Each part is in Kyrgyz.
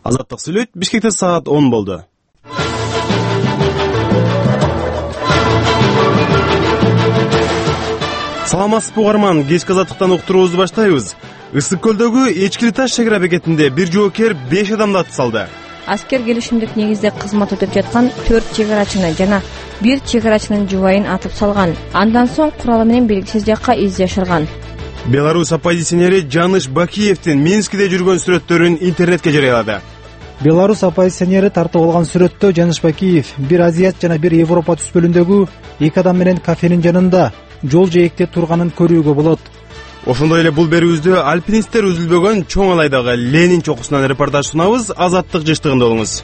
Азаттык сүйлөйт. Бишкекте саат 10 болду. Саламатсызбы угарман, кечки азаттыктан уктуруубузду баштайбыз. Ысык көлдөгү Эчкили таш чек ара бекетинде бир жоокер 5 адамды атып салды. Аскер келишимдик негизде кызмат өтөп жаткан 4 чек арачыны жана 1 чек арачынын жубайын атып салган. Андан соң куралы менен белгисиз жакка изжашырган. Беларусь оппозиционери Жаныш Бакиевдин Минскиде жүргөн сүрөттөрүн интернетке жарыялады. Беларусь оппозиционери тартып алган сүрөттө Жаныш Бакиев бир Азият жана бир Европа түспөлүндөгү 2 адам менен кафенин жанында жол жээкте турганын көрүүгө болот. Ошондой эле бул берүүбүздө альпинисттер үзүлбөгөн чоң алайдагы Ленин чокусунан репортаж сунабыз. Азаттык жыштыгында болуңуз.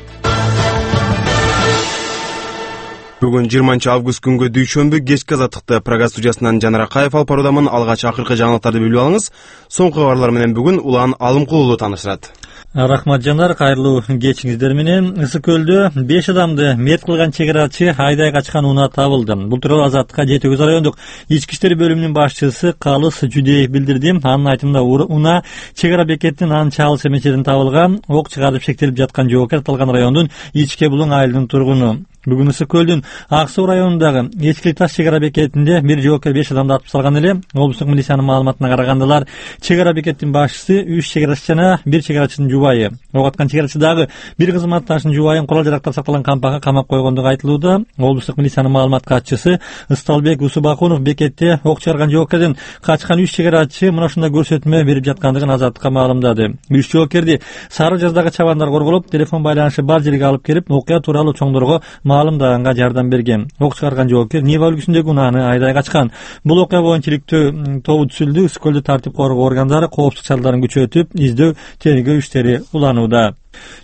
Бүгүн 20 август күнгө дүйшөмбү кечки азаттыкты программа студиясынан Жанар Акаев алып баруудамын. Алгач акыркы жаңылыктарды билип алыңыз. Соңку кабарлар менен бүгүн Улан Алымкулуу тааныштырат. Рахмат Жанар, кайрылуу кечиңиздер менен. Ысык көлдө 5 адамды мерт кылган чек арачы айдай качкан унаа табылды. Бул тууралуу Азаттыкка Жети Көз райондук ички иштер бөлүмүнүн башчысы Калыс Жудеев билдирди. Анын айтымында унаа чек ара бекетинин анча алыс эмес жеринен табылган. Ок чыгарып шектелип жаткан жоокер аталган райондун Ичке Булуң айылынын тургуну. Бүгүн Ысык көлдүн Ак Суу районундагы Эчкили таш чек ара бекетинде бир жоокер 5 адамды атып салган эле. Облустук милициянын маалыматына караганда чек ара бекеттин башчысы 3 чек арачы жана 1 чек арачынын жубайы. Ок аткан чек арачыдагы бир кызматташынын жубайын курал жарактар сакталган кампакка камап койгондугу айтылууда. Облустук милициянын маалымат катчысы Ысталбек Усубакунов бекетте ок чыгарган жоокердин качкан 3 чек арачы мына ушундай көрсөтмө берип жаткандыгын Азаттыкка маалымдады. 3 жоокерди Сары Жаздагы чабандар корголоп, телефон байланышы бар жерге алып келип, окуя тууралуу чоңдорго маалымдаганга жардам берген. Ок чыгарган жоокер Нива үлгүсүндөгү унааны айдай качкан. Бул окуя боюнча иликтөө тобу түзүлдү. Ысык көлдө тартип коргоо органдары коопсуздук чараларын күчөтүп, издөө тергөө иштери уланууда.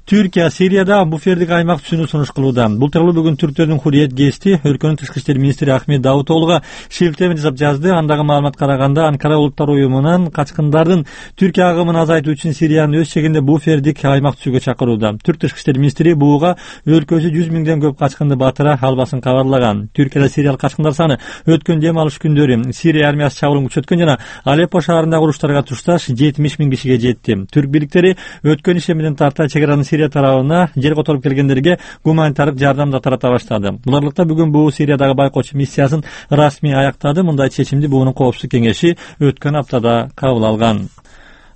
Түркия Сирияда буфердик аймак түзүүнү сунуш кылууда. Бул тууралуу бүгүн Түрктөрдүн Хурриет гезити өлкөнүн тышкы иштер министри Ахмет Давутоглуга шилтеме жасап жазды. Андагы маалымат караганда Анкара улуттар уюмунан качкындардын Түркия агымын азайтуу үчүн Сириянын өз чегинде буфердик аймак түзүүгө чакырууда. Түрк тышкы иштер министри буга өлкөсү 100 миңден көп качкынды батыра албасын кабарлаган. Түркияда сириялык качкындар саны өткөн дем алыш күндөрү Сирия армиясы чабуулун күчөткөн жана Алеппо шаарындагы уруштарга тушташ 70 миң кишиге жетти. Түрк бийликтери өткөн иши менен тарта чекаранын Сирия тарабына жер которуп келгендерге гуманитардык жардам да тарата баштады. Буларлыкта бүгүн буу Сириядагы байкоочу миссиясын расмий аяктады. Мындай чечимди буунун коопсуздук кеңеши өткөн аптада кабыл алган.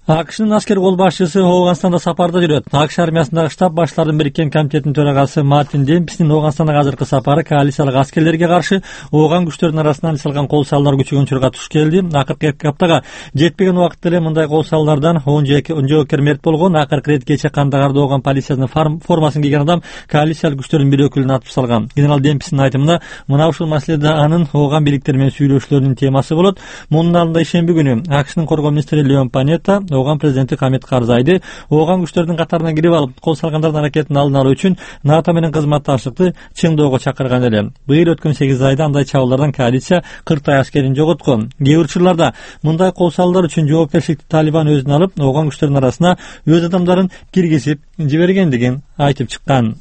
АКШнын аскер кол башчысы Ооганстанда сапарда жүрөт. АКШ армиясындагы штаб баштарынын бириккен комитетинин төрагасы Мартин Демпстин Ооганстандагы азыркы сапары коалициялык аскерлерге каршы Ооган күчтөрүнүн арасынан алып кол салуулар күчөгөн учурга туш келди. Акыркы 2 аптага жетпеген убакытта эле мындай кол салуулардан 10 жоокер мерт болгон. Акыркы ирет кече Кандагарда Ооган полициясынын формасын кийген адам коалициялык күчтөрдүн бир өкүлүн атып салган. Генерал Демпстин айтымында мына ушул маселеде анын Ооган бийликтери менен сүйлөшүүлөрүнүн темасы болот. Мунун алдында ишемби күнү АКШнын коргоо министри Леон Панетта Ооган президенти Хамид Карзайды Ооган күчтөрдүн катарына кирип алып, кол салгандардын аракетин алдын алуу үчүн НАТО менен кызматташтыкты чыңдоого чакырган эле. Быйыл өткөн 8 айда андай чабуулардан коалиция 40 аскерин жоготкон. Кээ бир учурларда мындай кол салуулар үчүн жоопкерчиликти Талибан өзүнө алып, Ооган күчтөрүнүн арасына өз адамдарын киргизип жибергендигин айтып чыккан.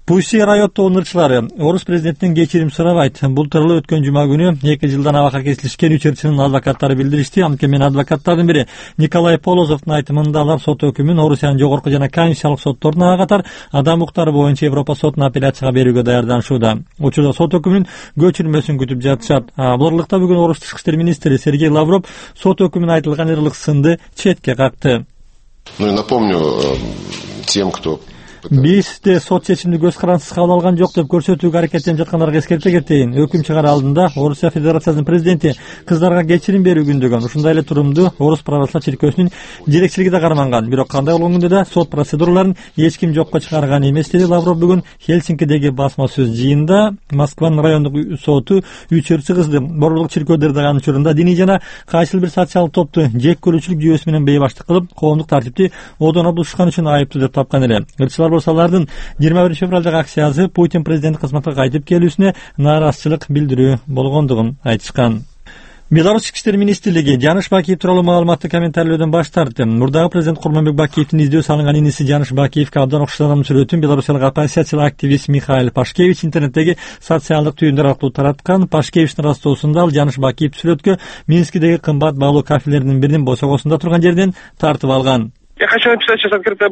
Пусси райоттогу ырчылары орус президентинен кечирим сурабайт. Бул тууралуу өткөн жума күнү 2 жылдан абакка кесилишкен 3 ырчынын адвокаттары билдиришти. Анткени адвокаттардын бири Николай Полозовдун айтымында алар сот өкүмүн Орусиянын жогорку жана конституциялык сотторуна катар адам укуктары боюнча Европа сотуна апелляцияга берүүгө даярданышууда. Учурда сот өкүмүнүн көчүрмөсүн күтүп жатышат. Буларлыкта бүгүн Орус тышкы иштер министри Сергей Лавров сот өкүмүнө айтылган ырлык сынды четке какты. Ну и напомню тем, кто Бизде сот чечимди көз карандысыз кабыл алган жок деп көрсөтүүгө аракеттенип жаткандарга эскерте кетейин. Өкүм чыгар алдында Орусия Федерациясынын президенти кыздарга кечирим берүү күндөгөн. Ушундай эле турумду Орус православ чиркөөсүнүн жетекчилиги да карманган. Бирок кандай болгон күндө да сот процедураларын эч ким жокко чыгарган эмес, деди Лавров бүгүн Хельсинкидеги басма сөз жыйында. Москванын райондук соту 3 ырчы кызды борлук чиркөөдөрдө дагы учурунда диний жана кайсыл бир социалдык топту жек көрүүчүлүк жүйөсү менен бейбаштык кылып, коомдук тартипти одоно бузушкан үчүн айыптуу деп тапкан эле. Ырчылар болсо алардын 21 февралдагы акциясы Путин президент кызматка кайтып келүүсүнө нааразычылык билдирүү болгондугун айтышкан. Беларусь ички иштер министрлиги Жаныш Бакиев тууралуу маалыматты комментарийлөөдөн баш тартты. Мурдагы президент Курманбек Бакиевдин издөө салынган иниси Жаныш Бакиевге абдан окшош адамдын сүрөтүн белорусиялык оппозициялык активист Михаил Пашкевич интернеттеги социалдык түйүндөр аркылуу тараткан. Пашкевичтин растоосунда ал Жаныш Бакиев сүрөткө Минскидеги кымбат баалуу кафелердин биринин босогосунда турган жерден тартып алган. Я хочу написать сейчас открытое